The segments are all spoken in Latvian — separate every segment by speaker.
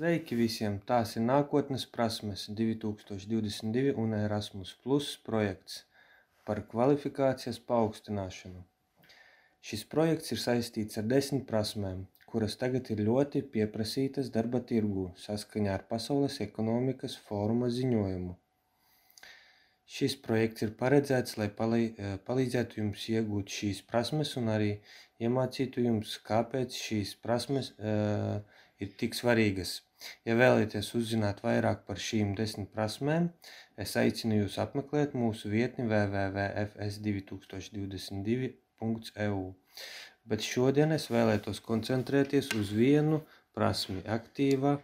Speaker 1: Sveiki visiem! Tās ir nākotnes prasmes 2022 un Erasmus Plus projekts par kvalifikācijas paaugstināšanu. Šis projekts ir saistīts ar 10 prasmēm, kuras tagad ir ļoti pieprasītas darba tirgū saskaņā ar Pasaules ekonomikas fóruma ziņojumu. Šis projekts ir paredzēts, lai palīdzētu jums iegūt šīs prasmes un arī iemācītu jums, kāpēc šīs prasmes ir tik svarīgas. Ja vēlaties uzzināt vairāk par šīm 10 prasmēm, es aicinu jūs apmeklēt mūsu vietni www.fs2022.eu. Bet šodien es vēlētos koncentrēties uz vienu prasmi - aktīva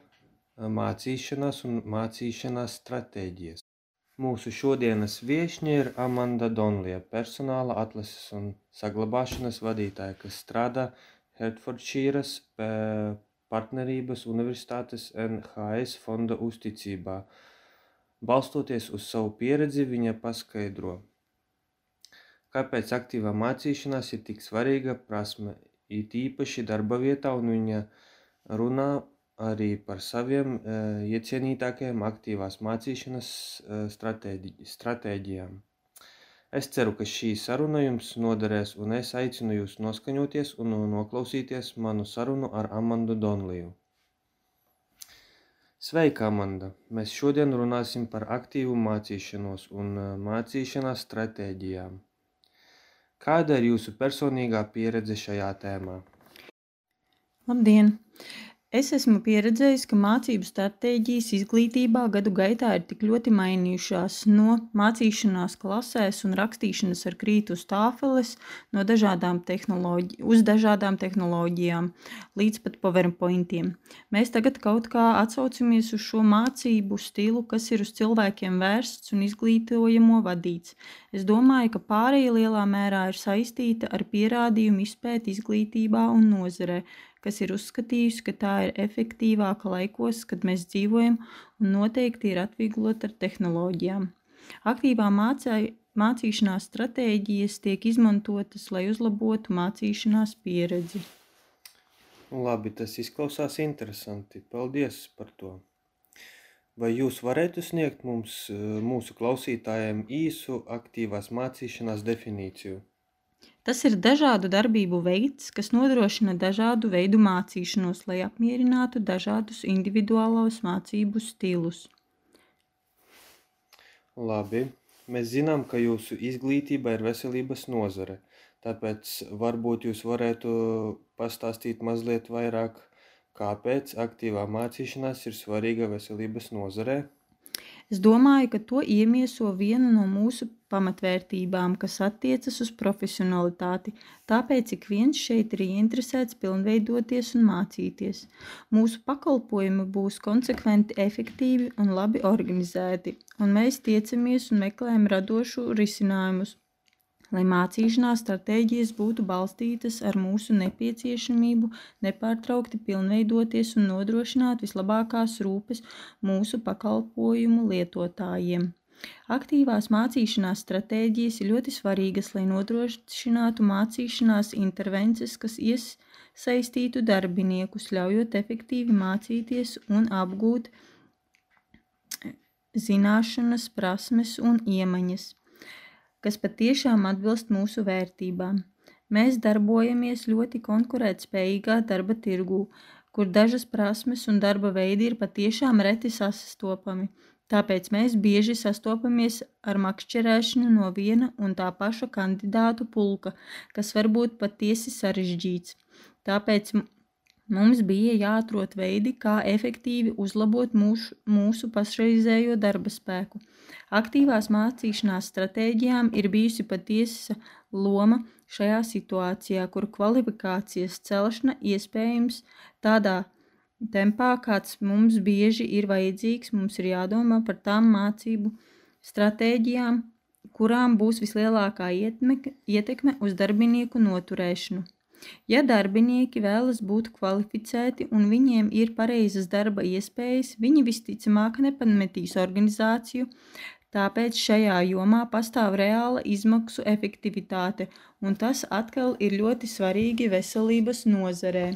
Speaker 1: mācīšanās un mācīšanās stratēģijas. Mūsu šodienas viešņa ir Amanda Donlija, personāla atlases un saglabāšanas vadītāja, kas strādā Hertfordšīras partnerības universitātes NHS fonda uzticībā. Balstoties uz savu pieredzi, viņa paskaidro, kāpēc aktīvā mācīšanās ir tik svarīga prasme, it īpaši darba vietā, un viņa runā arī par saviem iecienītākajiem aktīvās mācīšanas stratēģijām. Es ceru, ka šī saruna jums noderēs, un es aicinu jūs noskaņoties un noklausīties manu sarunu ar Amandu Donliju. Sveika, Amanda! Mēs šodien runāsim par aktīvu mācīšanos un mācīšanās stratēģijām. Kāda ir jūsu personīgā pieredze šajā tēmā?
Speaker 2: Labdien! Es esmu pieredzējis, ka mācību stratēģijas izglītībā gadu gaitā ir tik ļoti mainījušās no mācīšanās klasēs un rakstīšanas ar krītu uz tāfeles uz dažādām tehnoloģijām līdz pat PowerPointiem. Mēs tagad kaut kā atsaucamies uz šo mācību stilu, kas ir uz cilvēkiem vērsts un izglītojamo vadīts. Es domāju, ka pārēja lielā mērā ir saistīta ar pierādījumu izpēti izglītībā un nozarē, kas ir uzskatījusi, ka tā ir efektīvāka laikos, kad mēs dzīvojam, un noteikti ir atvieglota ar tehnoloģijām. Aktīvā mācīšanās stratēģijas tiek izmantotas, lai uzlabotu mācīšanās pieredzi.
Speaker 1: Labi, tas izklausās interesanti. Paldies par to. Vai jūs varētu sniegt mums, mūsu klausītājiem, īsu aktīvās mācīšanās definīciju?
Speaker 2: Tas ir dažādu darbību veids, kas nodrošina dažādu veidu mācīšanos, lai apmierinātu dažādus individuālos mācību stilus.
Speaker 1: Labi, mēs zinām, ka jūsu izglītība ir veselības nozare, tāpēc varbūt jūs varētu pastāstīt mazliet vairāk, kāpēc aktīvā mācīšanās ir svarīga veselības nozarē?
Speaker 2: Es domāju, ka to iemieso viena no mūsu pamatvērtībām, kas attiecas uz profesionalitāti, tāpēc ik viens šeit ir ieinteresēts pilnveidoties un mācīties. Mūsu pakalpojumi būs konsekventi, efektīvi un labi organizēti, un mēs tiecamies un meklējam radošu risinājumus, lai mācīšanās stratēģijas būtu balstītas ar mūsu nepieciešamību nepārtraukti pilnveidoties un nodrošināt vislabākās rūpes mūsu pakalpojumu lietotājiem. Aktīvās mācīšanās stratēģijas ir ļoti svarīgas, lai nodrošinātu mācīšanās intervences, kas iesaistītu darbiniekus, ļaujot efektīvi mācīties un apgūt zināšanas, prasmes un iemaņas, kas patiešām atbilst mūsu vērtībām. Mēs darbojamies ļoti konkurētspējīgā darba tirgū, kur dažas prasmes un darba veidi ir patiešām reti sastopami. Tāpēc mēs bieži sastopamies ar makšķerēšanu no viena un tā paša kandidātu pulka, kas var būt patiesi sarežģīts. Tāpēc mums bija jāatrod veidi, kā efektīvi uzlabot mūsu pašreizējo darba spēku. Aktīvās mācīšanās stratēģijām ir bijusi patiesa loma šajā situācijā, kur kvalifikācijas celšana iespējams tādā tempā, kāds mums bieži ir vajadzīgs. Mums ir jādomā par tām mācību stratēģijām, kurām būs vislielākā ietekme uz darbinieku noturēšanu. Ja darbinieki vēlas būt kvalificēti un viņiem ir pareizas darba iespējas, viņi visticamāk nepametīs organizāciju, tāpēc šajā jomā pastāv reāla izmaksu efektivitāte, un tas atkal ir ļoti svarīgi veselības nozarē.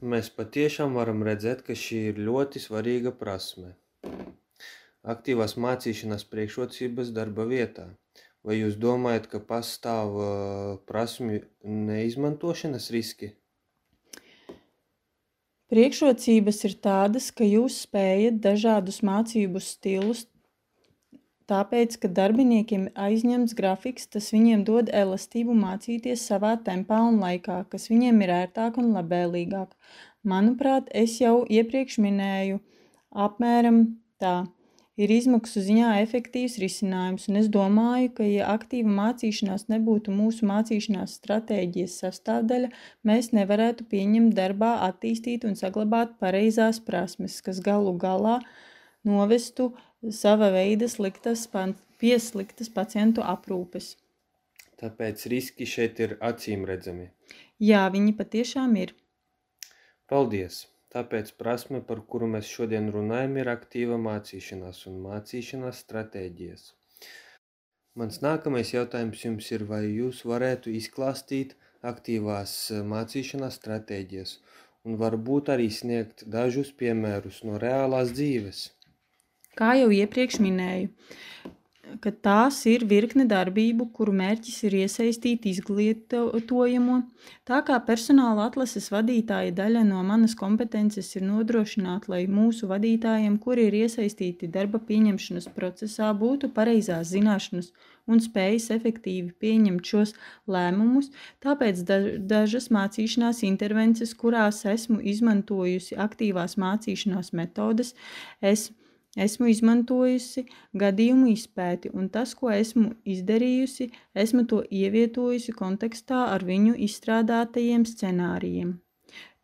Speaker 1: Mēs patiešām varam redzēt, ka šī ir ļoti svarīga prasme. Aktīvās mācīšanās priekšrocības darba vietā. Vai jūs domājat, ka pastāv prasmju neizmantošanas riski?
Speaker 2: Priekšrocības ir tādas, ka jūs spējat dažādus mācību stilus, tāpēc, ka darbiniekiem ir aizņemts grafiks, tas viņiem dod elastību mācīties savā tempā un laikā, kas viņiem ir ērtāk un labvēlīgāk. Manuprāt, es jau iepriekš minēju apmēram tā. Ir izmaksu ziņā efektīvs risinājums, un es domāju, ka, ja aktīva mācīšanās nebūtu mūsu mācīšanās stratēģijas sastāvdaļa, mēs nevarētu pieņemt darbā, attīstīt un saglabāt pareizās prasmes, kas galu galā novestu sava veida pie sliktas pacientu aprūpes.
Speaker 1: Tāpēc riski šeit ir acīmredzami.
Speaker 2: Jā, viņi patiešām ir.
Speaker 1: Paldies! Tāpēc prasme, par kuru mēs šodien runājam, ir aktīva mācīšanās un mācīšanās stratēģijas. Mans nākamais jautājums jums ir, vai jūs varētu izklāstīt aktīvās mācīšanās stratēģijas un varbūt arī sniegt dažus piemērus no reālās dzīves?
Speaker 2: Kā jau iepriekš minēju, ka tās ir virkne darbību, kuru mērķis ir iesaistīt izglītojamo. Tā kā personāla atlases vadītāja daļa no manas kompetences ir nodrošināt, lai mūsu vadītājiem, kuri ir iesaistīti darba pieņemšanas procesā, būtu pareizās zināšanas un spējas efektīvi pieņemt šos lēmumus, tāpēc dažas mācīšanās intervences, kurās esmu izmantojusi aktīvās mācīšanās metodes, esmu izmantojusi gadījumu izpēti, un tas, ko esmu izdarījusi, esmu to ievietojusi kontekstā ar viņu izstrādātajiem scenārijiem.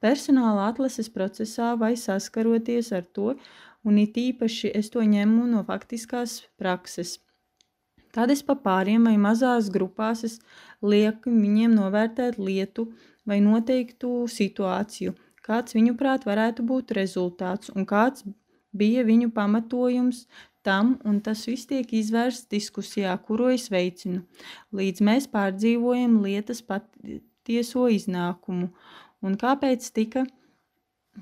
Speaker 2: Personāla atlases procesā vai saskaroties ar to, un it īpaši es to ņemu no faktiskās prakses. Tad es pa pāriem vai mazās grupās lieku viņiem novērtēt lietu vai noteiktu situāciju, kāds viņuprāt varētu būt rezultāts un kāds bija viņu pamatojums tam, un tas viss tiek izvērsts diskusijā, kuru es veicinu, līdz mēs pārdzīvojam lietas patieso iznākumu, un kāpēc tika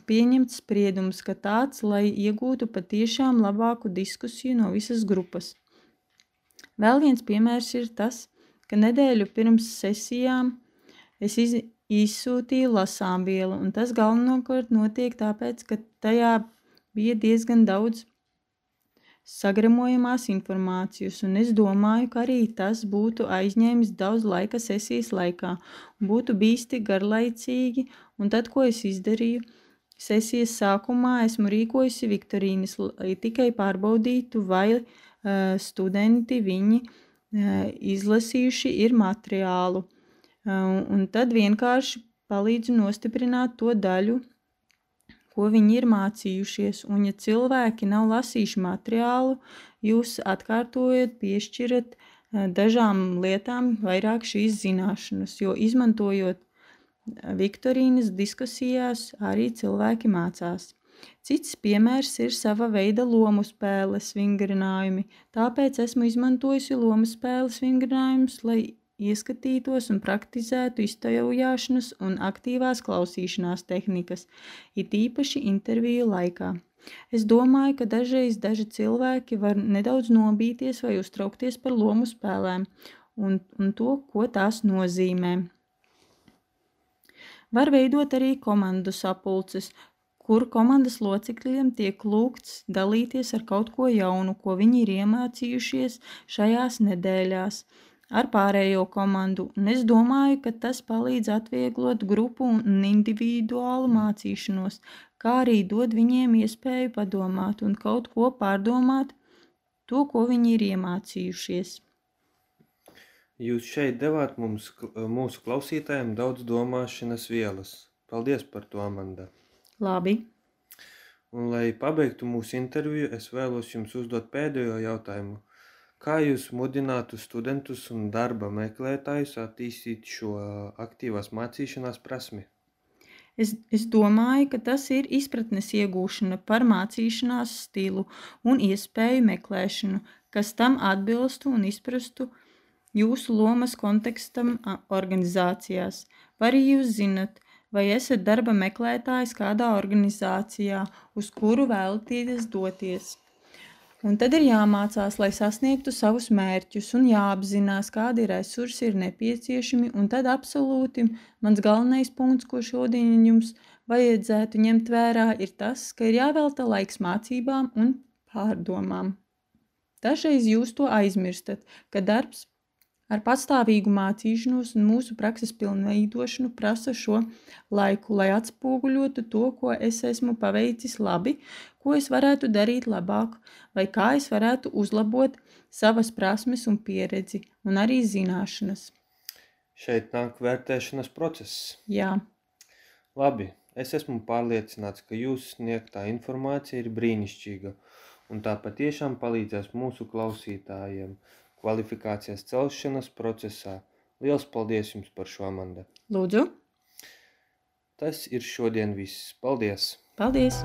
Speaker 2: pieņemts spriedums, ka tāds, lai iegūtu patiešām labāku diskusiju no visas grupas. Vēl viens piemērs ir tas, ka nedēļu pirms sesijām es izsūtīju lasāmvielu, un tas galvenokārt notiek tāpēc, ka tajā bija diezgan daudz sagramojamās informācijas, un es domāju, ka arī tas būtu aizņēmis daudz laika sesijas laikā, un būtu bīsti garlaicīgi, un tad, ko es izdarīju, sesijas sākumā esmu rīkojusi viktorīnas, lai tikai pārbaudītu, vai studenti viņi izlasījuši ir materiālu, un tad vienkārši palīdzu nostiprināt to daļu, ko viņi ir mācījušies, un ja cilvēki nav lasījuši materiālu, jūs atkārtojot, piešķirat dažām lietām vairāk šīs zināšanas, jo izmantojot viktorīnas diskusijās arī cilvēki mācās. Cits piemērs ir sava veida lomu spēles vingrinājumi, tāpēc esmu izmantojusi lomu spēles vingrinājumus, lai ieskatītos un praktizētu iztaujāšanas un aktīvās klausīšanās tehnikas, it īpaši interviju laikā. Es domāju, ka dažreiz daži cilvēki var nedaudz nobīties vai uztraukties par lomu spēlēm un to, ko tās nozīmē. Var veidot arī komandu sapulces, kur komandas locekļiem tiek lūgts dalīties ar kaut ko jaunu, ko viņi ir iemācījušies šajās nedēļās ar pārējo komandu, un es domāju, ka tas palīdz atvieglot grupu un individuālu mācīšanos, kā arī dod viņiem iespēju padomāt un kaut ko pārdomāt to, ko viņi ir iemācījušies.
Speaker 1: Jūs šeit devāt mūsu klausītājiem daudz domāšanas vielas. Paldies par to, Amanda.
Speaker 2: Labi.
Speaker 1: Un, lai pabeigtu mūsu interviju, es vēlos jums uzdot pēdējo jautājumu. Kā jūs mudinātu studentus un darba meklētājus attīstīt šo aktīvās mācīšanās prasmi?
Speaker 2: Es domāju, ka tas ir izpratnes iegūšana par mācīšanās stilu un iespēju meklēšanu, kas tam atbilstu un izprastu jūsu lomas kontekstam organizācijās. Vai arī jūs zinat, vai esat darba meklētājs kādā organizācijā, uz kuru vēlaties doties. Un tad ir jāmācās, lai sasniegtu savus mērķus un jāapzinās, kādi resursi ir nepieciešami, un tad absolūti mans galvenais punkts, ko šodien jums vajadzētu ņemt vērā, ir tas, ka ir jāvelta laiks mācībām un pārdomām. Dažreiz jūs to aizmirstat, ka darbs ar patstāvīgu mācīšanos un mūsu prakses pilnveidošanu prasa šo laiku, lai atspoguļotu to, ko es esmu paveicis labi, ko es varētu darīt labāk, vai kā es varētu uzlabot savas prasmes un pieredzi, un arī zināšanas.
Speaker 1: Šeit nāk vērtēšanas process.
Speaker 2: Jā,
Speaker 1: Labi, es esmu pārliecināts, ka jūsu sniegtā informācija ir brīnišķīga, un tā patiešām palīdzēs mūsu klausītājiem kvalifikācijas celšanas procesā. Liels paldies jums par šo, Amanda!
Speaker 2: lūdzu,
Speaker 1: Tas ir šodien viss. Paldies!
Speaker 2: paldies!